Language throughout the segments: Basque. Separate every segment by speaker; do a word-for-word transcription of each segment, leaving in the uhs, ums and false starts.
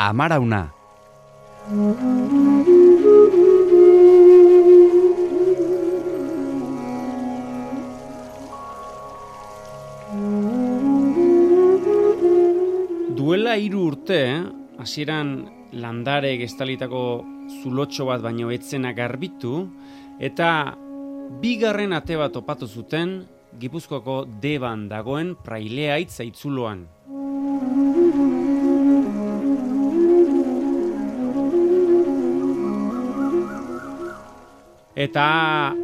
Speaker 1: Amarauna.
Speaker 2: Duela hiru urte, hasieran landare estalitako zulotxo bat baino etzena garbitu, eta bigarren ate bat topatu zuten Gipuzkoako Deban dagoen Praileaitz aitzuloan. Eta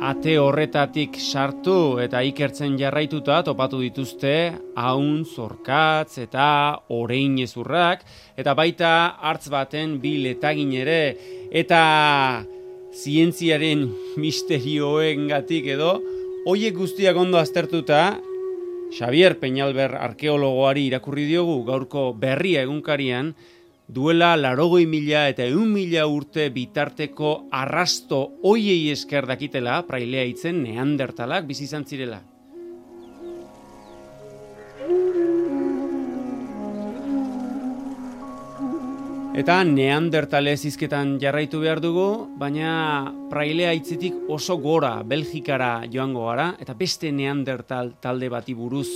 Speaker 2: ate horretatik sartu eta ikertzen jarraituta topatu dituzte aun, zorkatz eta oreinezurrak, eta baita hartz baten bi letagin ere, eta zientziaren misterioengatik edo, hoiek guztiak ondo aztertuta, Xavier Peñalver arkeologoari irakurri diogu gaurko Berria egunkarian, duela laurogei mila eta ehun mila urte bitarteko arrasto hoiei esker dakitela Praileaitzen neandertalak bizi izan zirela. Eta neandertalez hizketan jarraitu behar dugu, baina Praileaitzetik oso gora Belgikara joango gara, eta beste neandertal talde bati buruz.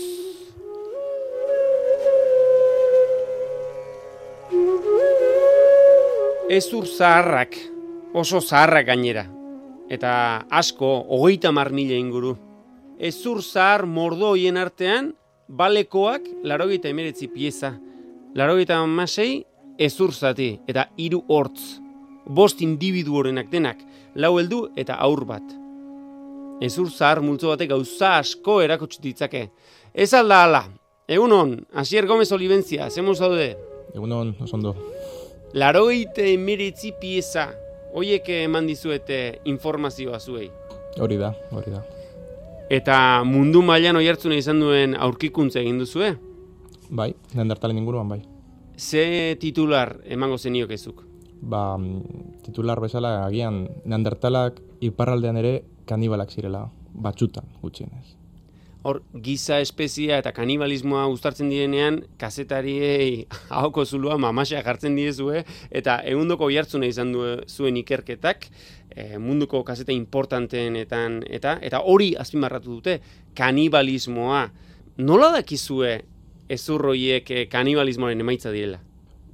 Speaker 2: Ezur zaharrak, oso zaharrak gainera, eta asko, hogeita hamar mila inguru. Ezur zahar mordo hoien artean, balekoak laurogeita hemeretzi pieza, laurogeita hamasei ezur zati, eta hiru hortz, bost individu horenak denak, lau heldu eta aur bat. Ezur zahar multzo batek gauza asko erakutsi ditzake. Ez alda ala, egunon, Asier Gomez Olibentzia, zemuz daude?
Speaker 3: Egunon, osondo.
Speaker 2: Laurogeita hemeretzi pieza, hoiek eman dizuete informazioa zuei.
Speaker 3: Hori da, hori da.
Speaker 2: Eta mundu mailan oihartzuna izan duen aurkikuntza egin duzue?
Speaker 3: Bai, neandertalen inguruan bai.
Speaker 2: Ze titular emango zeniokezuk?
Speaker 3: Ba, titular bezala agian neandertalak iparraldean ere kanibalak zirela, batzutan gutxienez.
Speaker 2: Hor, giza espezia eta kanibalismoa uztartzen direnean, kazetariei ahoko zulua mamaxa jartzen diezue, eta egundoko oihartzuna izan du zuen ikerketak, e, munduko kazeta importanteenetan, eta eta hori azpimarratu dute, kanibalismoa. Nola dakizue ezurroiek kanibalismoaren emaitza direla?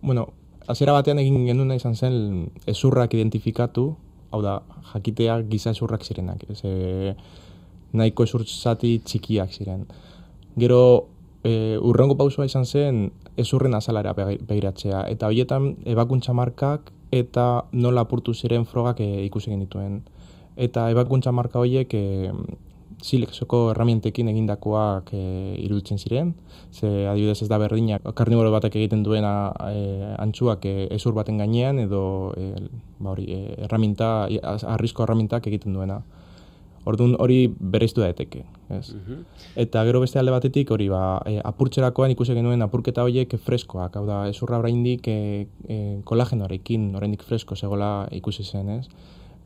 Speaker 3: Bueno, hasiera batean egin genuna izan zen ezurrak identifikatu, hau da, jakitea giza ezurrak zirenak. Ez, nahiko ezur zati txikiak ziren. Gero, e, urrengo pausua izan zen ezurren azalara begiratzea, eta horietan ebakuntza markak eta nola apurtu ziren frogak e, ikusi genituen. Eta ebakuntza marka horiek e, silexoko erramientekin egindakoak e, iruditzen ziren, ze adibidez ez da berdina karniboro batek egiten duena e, antzuak e, ezur baten gainean, edo e, ba hori, e, erraminta, arrizko erramintak egiten duena. Orduan hori bereiztu daiteke, ez? Uh-huh. Eta gero beste alde batetik hori ba, e, apurtzerakoan ikusi genuen apurketa horiek freskoak, hau da, ezurra oraindik e, e, kolagenoarekin oraindik fresko zegoela ikusi zen, ez?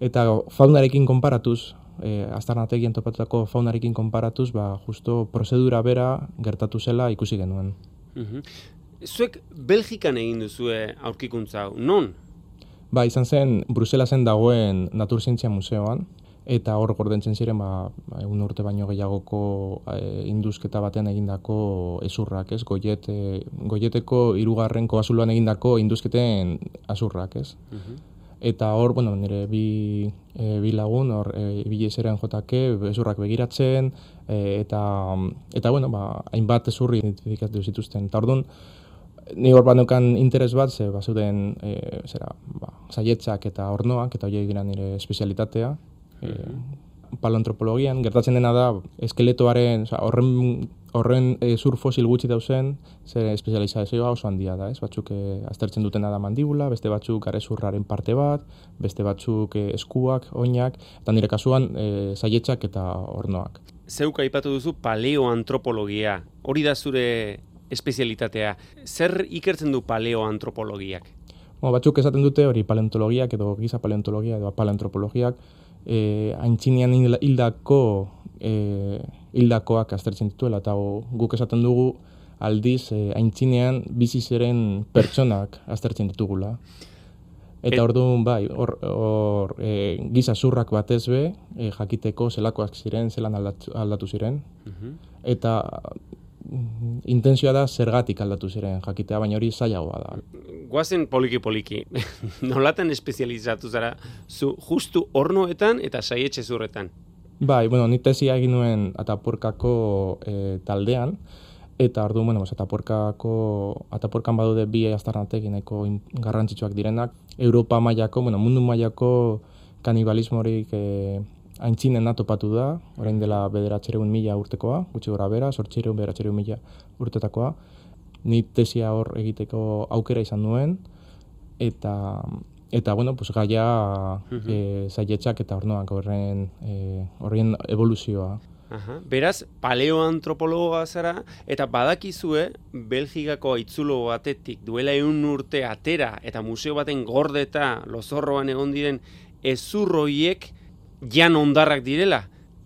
Speaker 3: Eta faunarekin konparatuz, e, aztarnategien topatutako faunarekin konparatuz, ba, justo prozedura bera gertatu zela ikusi genuen.
Speaker 2: Uh-huh. Zuek Belgikan egin duzue aurkikuntza hau, non?
Speaker 3: Ba, izan zen Bruselasen dagoen Naturzientzia Museoan, eta hor gordentzen ziren ba, egun urte baino gehiagoko e, induzketa batean egindako ezurrak, ez? Goiet, e, goieteko hirugarren kobazuloan egindako induzketen azurrak, ez? Uh-huh. Eta hor, bueno, nire bi, e, bi lagun, hor, e, ibili zeren jotake, ezurrak begiratzen, e, eta, eta, bueno, ba, hainbat ezurri identifikatu zituzten. Eta orduan, ni hor banukan interes bat, ze bazuten, e, zera, ba, saietzak eta ornoak, eta horiek dira nire espezialitatea, E, paleoantropologian, gertatzen dena da eskeletoaren, oza, horren, horren e, zur fosil gutxi dauzen, ze espezializazioa oso handia da, ez? Batzuk e, aztertzen dutena da mandibula, beste batzuk garezurraren parte bat, beste batzuk e, eskuak, oinak, eta nire kasuan e, saietzak eta ornoak.
Speaker 2: Zeuk aipatu duzu paleoantropologia, hori da zure espezialitatea. Zer ikertzen du paleoantropologiak?
Speaker 3: Bueno, batzuk esaten dute hori paleontologiak edo giza paleontologia edo paleoantropologiak, E, aintzinean hildako e, hildakoak aztertzen dituela, eta guk esaten dugu aldiz e, aintzinean bizi ziren pertsonak aztertzen ditugula. Eta orduan bai, hor, hor e, giza zurrak batez be, e, jakiteko zelakoak ziren, zelan aldatu, aldatu ziren. Uh-huh. Eta mm, intentzioa da zergatik aldatu ziren jakitea, baina hori zailagoa da.
Speaker 2: Guazen poliki-poliki, nolatan espezializatu zara, zu justu hornoetan eta saietxe zurretan?
Speaker 3: Bai, bueno, ni tesia egin nuen Atapuerkako e, taldean, eta orduan, bueno, Atapuerkako, Atapuerkan badude bi aztarnatek nahiko garrantzitsuak direnak. Europa mailako, bueno, mundu mailako kanibalismorik e, aintzinen topatu da, orain dela bederatziehun mila urtekoa, gutxi gora bera, zortziehun bederatziehun mila urtetakoa. Ni tesia hor egiteko aukera izan nuen, eta eta bueno, pues gaia uh-huh. e, zaietxak eta hornoak horren e, horren evoluzioa.
Speaker 2: Aha. Beraz, paleoantropologoa zara, eta badakizue Belgikako haitzulo batetik duela ehun urte atera eta museo baten gordeta lozorroan egon diren ezurroiek jan ondarrak direla.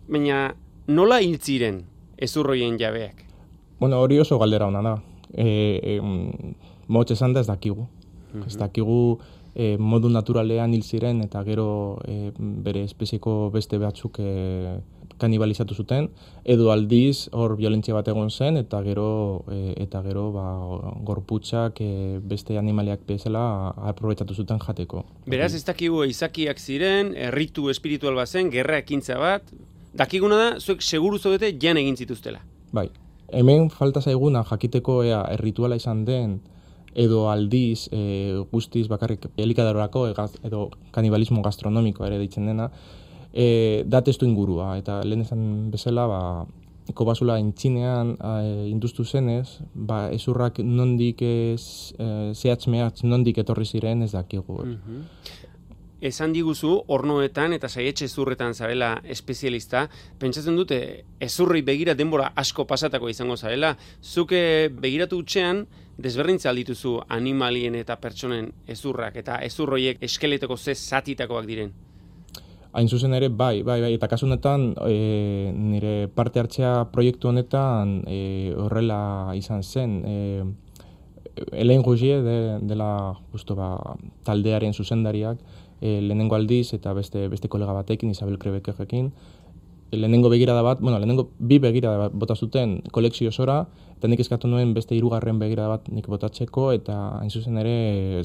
Speaker 2: Baina nola hil ziren ezurroien jabeak?
Speaker 3: Bueno, hori oso galdera ona da. E, e, Motz esan da ez dakigu. Uh-huh. Ez dakigu e, modu naturalean hil ziren eta gero e, bere espezieko beste batzuk e, kanibalizatu zuten, edo aldiz hor violentzia bat egon zen eta gero e, eta gero ba, gorputzak e, beste animaliak bezala aprobetxatu zuten jateko.
Speaker 2: Beraz ez dakigu izakiak ziren, erritu espiritual bat zen, gerra ekintza bat, dakiguna da, zuek seguru zaudete jan egin zituztela.
Speaker 3: Bai, hemen falta zaiguna jakiteko ea errituala izan den, edo aldiz e, guztiz bakarrik elikadorako edo kanibalismo gastronomiko ere ditzen dena, E, da testu ingurua, eta lehen esan bezala, ba, kobasula intzinean e, induztu zenez, ba, ezurrak nondik ez, e, zehatz mehatz nondik etorri ziren ez dakigu.
Speaker 2: Uh-huh. Esan diguzu, hornoetan eta saietxe ezurretan zarela espezialista, pentsatzen dute ezurri begira denbora asko pasatako izango zarela, zuke begiratu utxean, desberdintza aldituzu animalien eta pertsonen ezurrak, eta ezurroiek eskeleteko ze zatitakoak diren.
Speaker 3: Hain zuzen ere, bai, bai, bai, eta kasu honetan, e, nire parte hartzea proiektu honetan e, horrela izan zen. E, Helen Rougier de, dela justo, ba, taldearen zuzendariak, e, lehenengo aldiz eta beste beste kolega batekin, Isabel Krebekerekin, lehenengo begirada bat, bueno, lehenengo bi begirada bat bota zuten kolekzio osora, eta nik eskatu nuen beste hirugarren begirada bat nik botatzeko, eta hain zuzen ere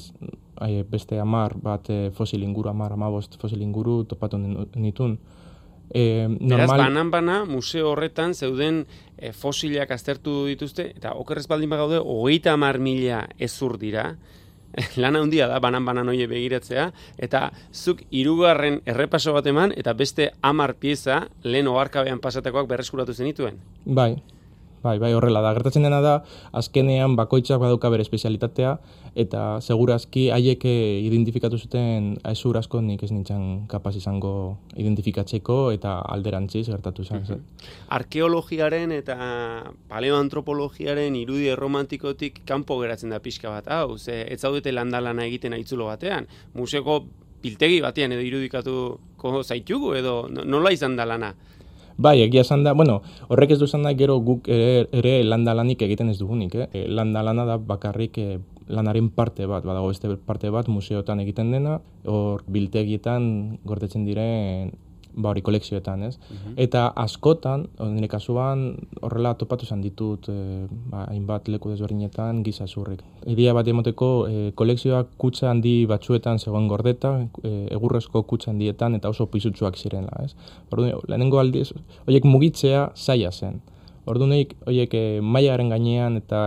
Speaker 3: beste hamar bat fosil inguru, hamar, hamabost fosil inguru topatu nitun. E,
Speaker 2: normal... Beraz, banan-bana, museo horretan zeuden e, fosilak aztertu dituzte, eta okerrez baldin bagaude, hogeita hamar mila ezur dira, lana handia da, banan-banan hoie begiratzea, eta zuk hirugarren errepaso bat eman, eta beste hamar pieza lehen oharkabean pasatakoak berreskuratu zenituen.
Speaker 3: Bai, bai, bai, horrela da. Gertatzen dena da, azkenean bakoitzak badauka bere espezialitatea, eta segurazki haiek identifikatu zuten ezur asko nik ez nintzen kapaz izango identifikatzeko, eta alderantziz gertatu izan zen.
Speaker 2: Arkeologiaren eta paleoantropologiaren irudi erromantikotik kanpo geratzen da pixka bat, hau, ze ez zaudete landalana egiten aitzulo batean, museoko biltegi batean edo irudikatuko zaitugu, edo nola izan da lana?
Speaker 3: Bai, egia esan da, bueno, horrek ez du esan da gero guk ere, ere landalanik egiten ez dugunik, eh? Landalana da bakarrik eh, lanaren parte bat, badago beste parte bat museotan egiten dena, hor biltegietan gordetzen diren, ba hori kolekzioetan, ez? Uh-huh. Eta askotan, nire kasuan, horrela topatu izan ditut, eh, ba, hainbat leku desberdinetan giza zurrik. Idea bat emoteko, eh, kolekzioak kutxa handi batzuetan zegoen gordeta, eh, egurrezko kutxa handietan eta oso pisutsuak zirela, ez? Orduan, lehenengo aldiz, horiek mugitzea zaila zen. Orduan, horiek eh, mailaren gainean eta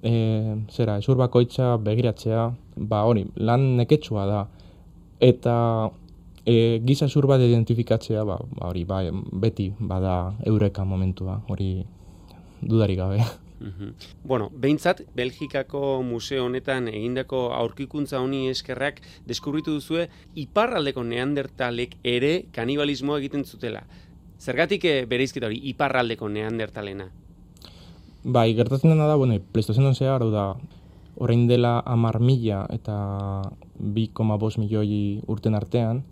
Speaker 3: eh, zera, ezur bakoitza begiratzea, ba hori, lan neketsua da. Eta E, giza zur bat identifikatzea, ba, hori, ba, beti bada eureka momentua, hori dudarik gabe.
Speaker 2: Uh-huh. Bueno, behintzat, Belgikako museo honetan egindako aurkikuntza honi eskerrak deskubritu duzue iparraldeko neandertalek ere kanibalismoa egiten zutela. Zergatik bereizketa hori iparraldeko neandertalena?
Speaker 3: Bai, gertatzen dena da, bueno, Pleistozenon zehar, hau da, orain dela hamar mila eta bi koma bost milioi urten artean,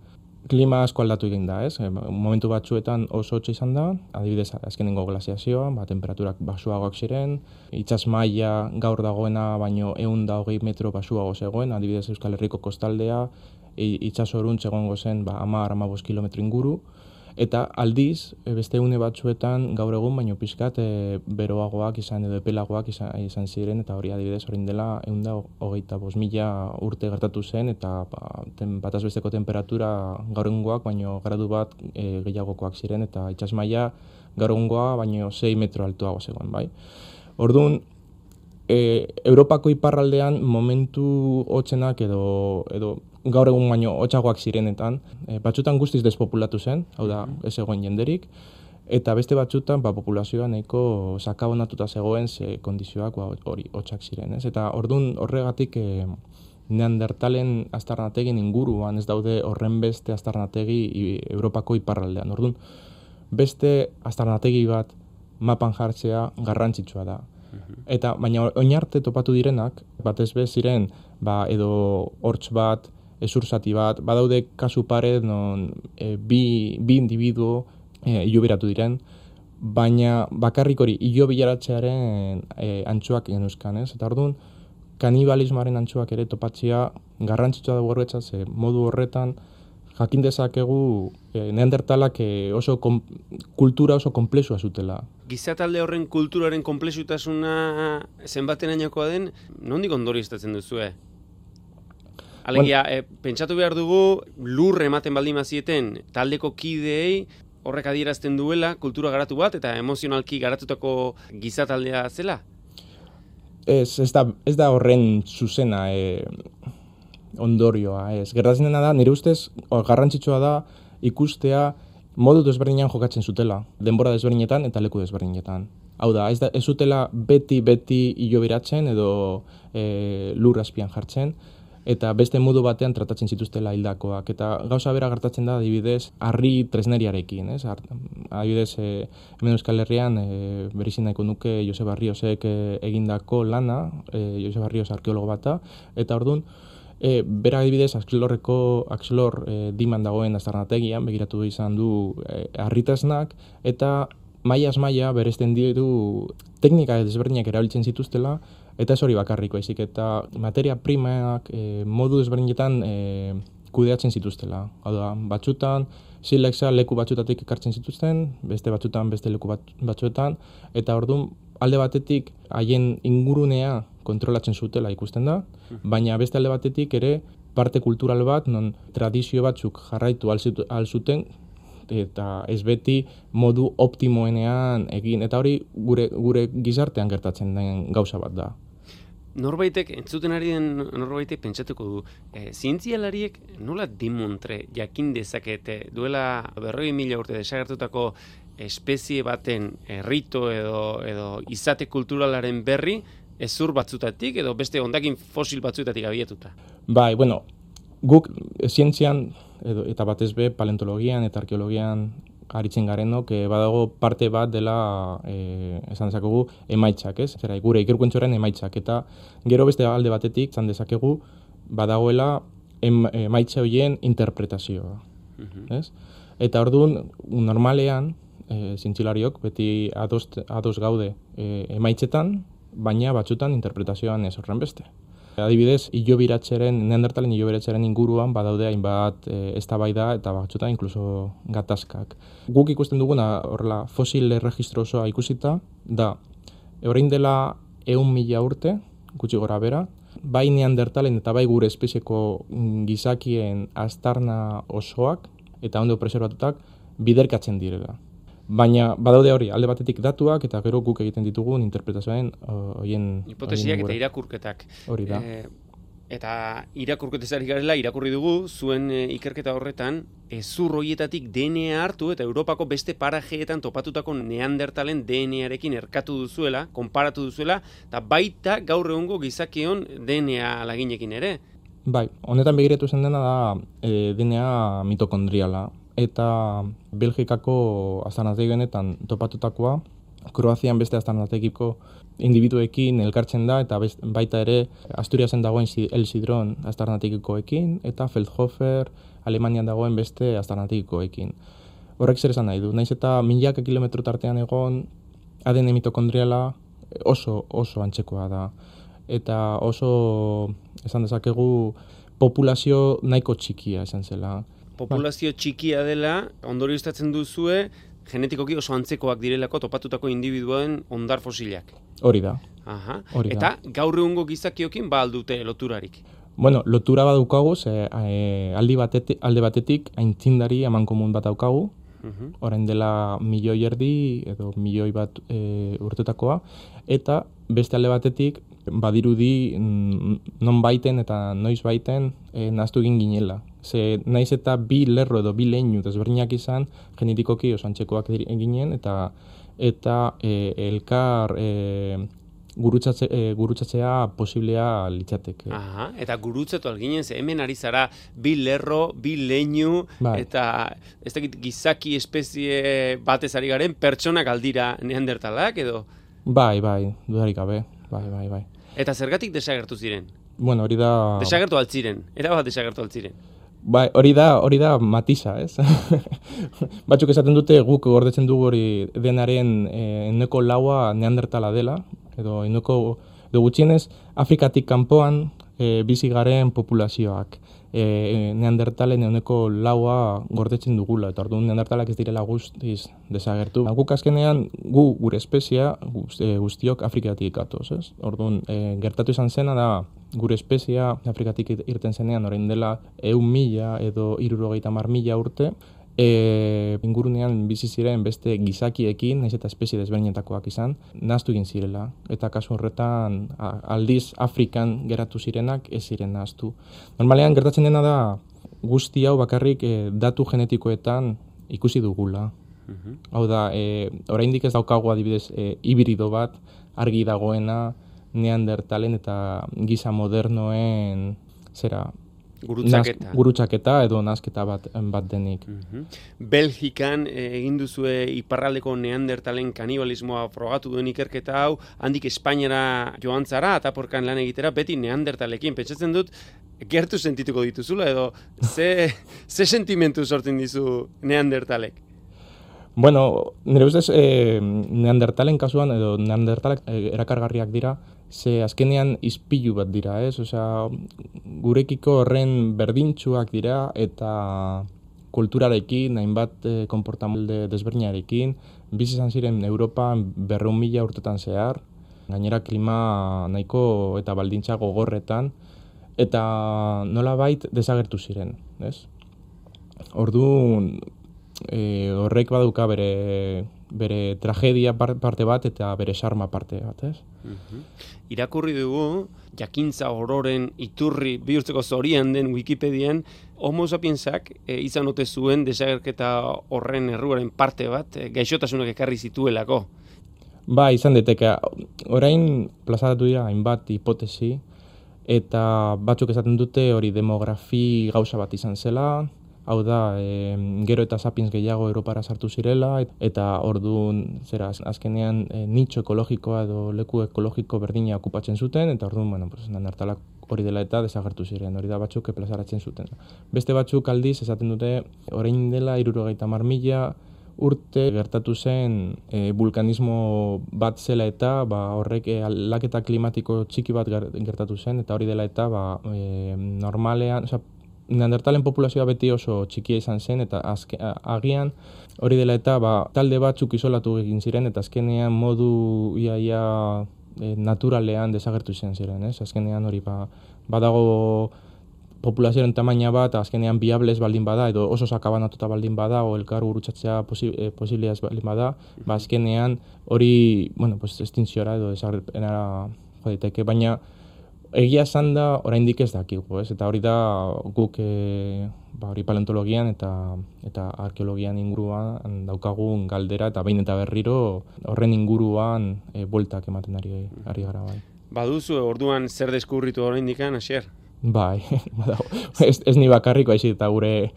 Speaker 3: klima asko aldatu egin da, ez? Momentu batzuetan oso hotza izan da, adibidez, azkenengo glaziazioa, ba, temperaturak basuagoak ziren, itsas maila gaur dagoena baino ehun eta hogei metro basuago zegoen, adibidez Euskal Herriko kostaldea, itsasoruntz egongo zen ba, hamar hamabost kilometro inguru, eta aldiz, beste une batzuetan gaur egun baino pixkat e, beroagoak izan edo epelagoak izan, izan ziren, eta hori adibidez orain dela ehun eta hogeita bost mila urte gertatu zen, eta ba, ten, bataz besteko temperatura gaur egungoak baino gradu bat e, gehiagokoak ziren, eta itsas maila gaur egungoa baino sei metro altuago zegoen, bai. Orduan, e, Europako iparraldean momentu hotzenak edo, edo gaur egun baino hotzagoak zirenetan, e, batzutan guztiz despopulatu zen, hau da, ez egoen jenderik, eta beste batzutan ba, populazioa nahiko sakabonatuta zegoen ze kondizioak ba, hori hotzak ziren, ez? Eta ordun horregatik e, Neandertalen aztarnategin inguruan ez daude horren beste aztarnategi Europako iparraldean. Ordun beste aztarnategi bat mapan jartzea garrantzitsua da. Eta baina oin arte topatu direnak, batez be ziren ba, edo hortz bat, ezur zati bat, badaude kasu pare non e, bi, bi individuo e, iloberatu diren, baina bakarrik hori ilobilaratzearen e, antxuak genuzkan, ez? Eta orduan, kanibalismoaren antxuak ere topatzea garrantzitsua dago horretza, ze modu horretan jakin dezakegu e, Neandertalak e, oso kom, kultura oso konplexua zutela.
Speaker 2: Gizatalde horren kulturaren konplexutasuna zenbatenainokoa den, nondik ondorioztatzen duzue? Alegia, bueno, e, pentsatu behar dugu, lur ematen baldin mazieten taldeko kideei horrek adierazten duela kultura garatu bat eta emozionalki garatutako gizataldea zela?
Speaker 3: Ez, ez da, ez da horren zuzena e, ondorioa. Ez. Gertatzen dena da, nire ustez garrantzitsua da ikustea modu desberdinean jokatzen zutela, denbora desberdinetan eta leku desberdinetan. Hau da, ez, da, ez zutela beti-beti iloberatzen edo e, lur azpian jartzen, eta beste modu batean tratatzen zituztela hildakoak. Eta gauza bera gertatzen da, adibidez, harri tresneriarekin. Ez? Adibidez, e, hemen Euskal Herrian e, berizin nahiko nuke Josep Barriosek e, egindako lana, e, Josep Barrios arkeologo bata, eta orduan, e, bera adibidez, Axelorreko, Axelor e, diman dagoen aztarnategian, begiratu izan du e, harri tresnak, eta mailaz maila beresten ditu teknika desberdinak erabiltzen zituztela, eta ez hori bakarriko, ezik eta materia primak e, modu desberdinetan e, kudeatzen zituztela. Hau da, batzutan, silexa leku batzutatik ekartzen zituzten, beste batzutan beste leku bat, batzuetan, eta orduan alde batetik haien ingurunea kontrolatzen zutela ikusten da, baina beste alde batetik ere parte kultural bat, non tradizio batzuk jarraitu al zuten, eta ez beti modu optimoenean egin, eta hori gure, gure gizartean gertatzen den gauza bat da.
Speaker 2: Norbaitek, entzuten ari den norbaitek pentsatuko du, e, zientzialariek nola dimontre jakin dezakete duela berrogei mila urte desagertutako espezie baten errito edo, edo izate kulturalaren berri ezur batzutatik edo beste hondakin fosil batzutatik abiatuta?
Speaker 3: Bai, bueno, guk zientzian edo, eta batez be paleontologian eta arkeologian aritzen garenok, e, badago parte bat dela, e, esan dezakegu, emaitzak, ez? Zera, gure ikerkuentzoren emaitzak, eta gero beste alde batetik, esan dezakegu, badagoela em, emaitza horien interpretazioa, uh-huh. ez? Eta orduan, normalean, e, zientzilariok beti ados, ados gaude e, emaitzetan, baina batzutan interpretazioan ez horren beste. Adibidez, ilobiratzeren, Neandertalen ilobiratzeren inguruan badaude hainbat e, eztabaida eta batzutan inkluso gatazkak. Guk ikusten duguna horrela fosil erregistro osoa ikusita da orain dela ehun mila urte, gutxi gora bera, bai Neandertalen eta bai gure espezieko gizakien aztarna osoak eta ondo preserbatutak biderkatzen direla. Baina badaude hori, alde batetik datuak eta gero guk egiten ditugun interpretazioen horien...
Speaker 2: Hipotesiak eta irakurketak.
Speaker 3: Hori da.
Speaker 2: E, eta irakurketezari garela, irakurri dugu, zuen e, ikerketa horretan, ezur horietatik D N A hartu eta Europako beste parajeetan topatutako Neandertalen D N A-rekin erkatu duzuela, konparatu duzuela, eta baita gaur egungo gizakion D N A laginekin ere.
Speaker 3: Bai, honetan begiratu zen dena da e, D N A mitokondriala. Eta Belgikako aztarnategi honetan topatutakoa, Kroazian beste aztarnategiko individuekin elkartzen da, eta best, baita ere Asturiasen dagoen El Sidron aztarnategikoekin, eta Feldhofer Alemanian dagoen beste aztarnategikoekin. Horrek zer esan nahi du, naiz eta milaka kilometro tartean egon, A D N mitokondriala oso oso antzekoa da. Eta oso, esan dezakegu, populazio nahiko txikia esan zela.
Speaker 2: Populazio txikia dela, ondorioztatzen duzue, genetikoki oso antzekoak direlako topatutako individuen ondar fosilak.
Speaker 3: Hori da.
Speaker 2: Aha.
Speaker 3: Hori da.
Speaker 2: Eta gaur egungo gizakiokin ba aldute loturarik?
Speaker 3: Bueno, lotura bat daukagu, ze, e, aldi batetik, alde batetik aintzindari amankomun bat daukagu, uh-huh. Orain dela milioi erdi edo milioi bat e, urtetakoa, eta beste alde batetik badirudi non baiten eta noiz baiten e, nahaztu egin ginela. Ze naiz eta bi lerro edo bi leinu desberdinak izan, genetikoki oso antzekoak ginen, eta eta e, elkar e, Gurutzatze, e, gurutzatzea posiblea litzateke.
Speaker 2: Aha, eta gurutzatu alginen, ze hemen ari zara bi lerro, bi leinu, bai. Eta ez dakit gizaki espezie batez ari garen, pertsonak aldira neandertalak edo?
Speaker 3: Bai, bai, dudarik gabe, bai, bai, bai.
Speaker 2: Eta zergatik desagertu ziren?
Speaker 3: Bueno, hori da...
Speaker 2: Desagertu altziren, erabat desagertu altziren.
Speaker 3: Bai, hori da, hori da matiza, ez? Batzuk esaten dute guk gordetzen dugu hori denaren eh, eneko laua neandertala dela, edo eneko, edo gutxienez, Afrikatik kanpoan e, bizi garen populazioak. E, neandertalen eneko laua gordetzen dugula, eta orduan neandertalak ez direla guztiz desagertu. Guk azkenean, gu gure espezia guztiok Afrikatik gatoz, ez? Orduan, e, gertatu izan zena da, gure espezia Afrikatik irten zenean, orain dela ehun mila edo hirurogeita hamar mila urte, E, ingurunean bizi ziren beste gizakiekin, naiz eta espezie desberdinetakoak izan, nahaztu egin zirela. Eta kasu horretan aldiz Afrikan geratu zirenak ez ziren nahaztu. Normalean gertatzen dena da guzti hau bakarrik e, datu genetikoetan ikusi dugula. Uh-huh. Hau da, e, oraindik ez daukagu adibidez e, hibrido bat argi dagoena neandertalen eta giza modernoen zera
Speaker 2: Gurutzaketa.
Speaker 3: Naz, gurutzaketa edo nazketa bat, bat denik.
Speaker 2: Uh-huh. Belgikan eh, egin duzue iparraldeko neandertalen kanibalismoa frogatu duen ikerketa hau, handik Espainiara joan zara, ataporkan lan egitera, beti neandertalekin. Pentsatzen dut, gertu sentituko dituzula, edo ze, ze sentimentu sortzen dizu neandertalek?
Speaker 3: Bueno, nire ustez eh, neandertalen kasuan, edo neandertalek eh, erakargarriak dira, ze azkenean ispilu bat dira, ez? Osea, gurekiko horren berdintsuak dira eta kulturarekin, hainbat eh, konportamendu desberdinarekin, bizi izan ziren Europan berrehun mila urtetan zehar, gainera klima nahiko eta baldintza gogorretan, eta nolabait desagertu ziren, ez? Orduan, e, horrek baduka bere bere tragedia parte bat eta bere sarma parte bat, ez?
Speaker 2: Uh-huh. Irakurri dugu, jakintza ororen iturri bihurtzeko zorian den Wikipedian, Homo sapiensak e, izan ote zuen desagerketa horren erruaren parte bat, e, gaixotasunak ekarri zituelako.
Speaker 3: Ba, izan deteke, orain plazaratu dira hainbat hipotesi, eta batzuk esaten dute hori demografi gauza bat izan zela, hau da, e, gero eta sapiens gehiago Europara sartu zirela, eta orduan, zera, azkenean e, nitxo ekologikoa edo leku ekologiko berdina okupatzen zuten, eta orduan, bueno, pues, neandertalak hori dela eta desagertu ziren, hori da batzuk plazaratzen zuten. Beste batzuk aldiz, esaten dute, orain dela hirurogeita hamar mila urte gertatu zen e, vulkanismo bat zela eta ba, horrek e, aldaketa klimatiko txiki bat gertatu zen, eta hori dela eta ba, e, normalean, oza, neandertalen populazioa beti oso txikia izan zen, eta azke, agian hori dela eta ba, talde batzuk isolatu egin ziren, eta azkenean modu iaia e, naturalean desagertu izan ziren, ez? Azkenean hori ba, badago populazioaren tamaina bat, azkenean biables baldin bada, edo oso sakabanatuta baldin bada, o elkar gurutzatzea posi, e, posibiliaz baldin bada, ba, azkenean hori, bueno, pues, estinziora edo desagerpenara joditeke, baina egia esan da, oraindik ez dakigu, ez? Eta hori da guk e, ba, hori paleontologian eta eta arkeologian inguruan daukagun galdera, eta behin eta berriro horren inguruan e, bueltak ematen ari, ari gara bai.
Speaker 2: Baduzu, orduan zer deskurritu oraindik, Asier?
Speaker 3: Bai, badago. ez, ez ni bakarriko, haizik eta gure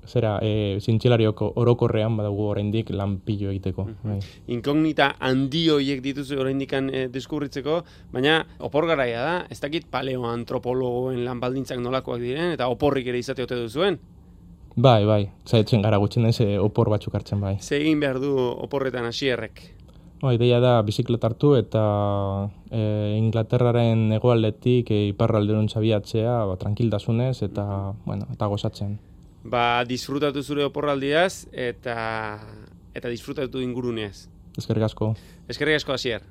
Speaker 3: zera, e, zintxilarioko orokorrean badago oraindik lan pilo egiteko. Bai.
Speaker 2: Inkognita handi horiek dituzu oraindikan e, deskubritzeko, baina opor garaia da, ez dakit paleoantropologoen lan baldintzak nolakoak diren, eta oporrik ere izate ote duzuen?
Speaker 3: Bai, bai, zaitzen gara gutxinez e, opor batzuk hartzen bai.
Speaker 2: Ze egin behar du oporretan hasierrek?
Speaker 3: Ba, ideia da bizikleta hartu eta e, Inglaterraren hegoaldetik e, iparralderantz abiatzea ba, tranquiltasunez eta, bueno, eta gozatzen.
Speaker 2: Ba, disfrutatu zure oporraldiaz eta eta disfrutatu inguruneaz.
Speaker 3: Eskerrik asko.
Speaker 2: Eskerrik asko, Asier.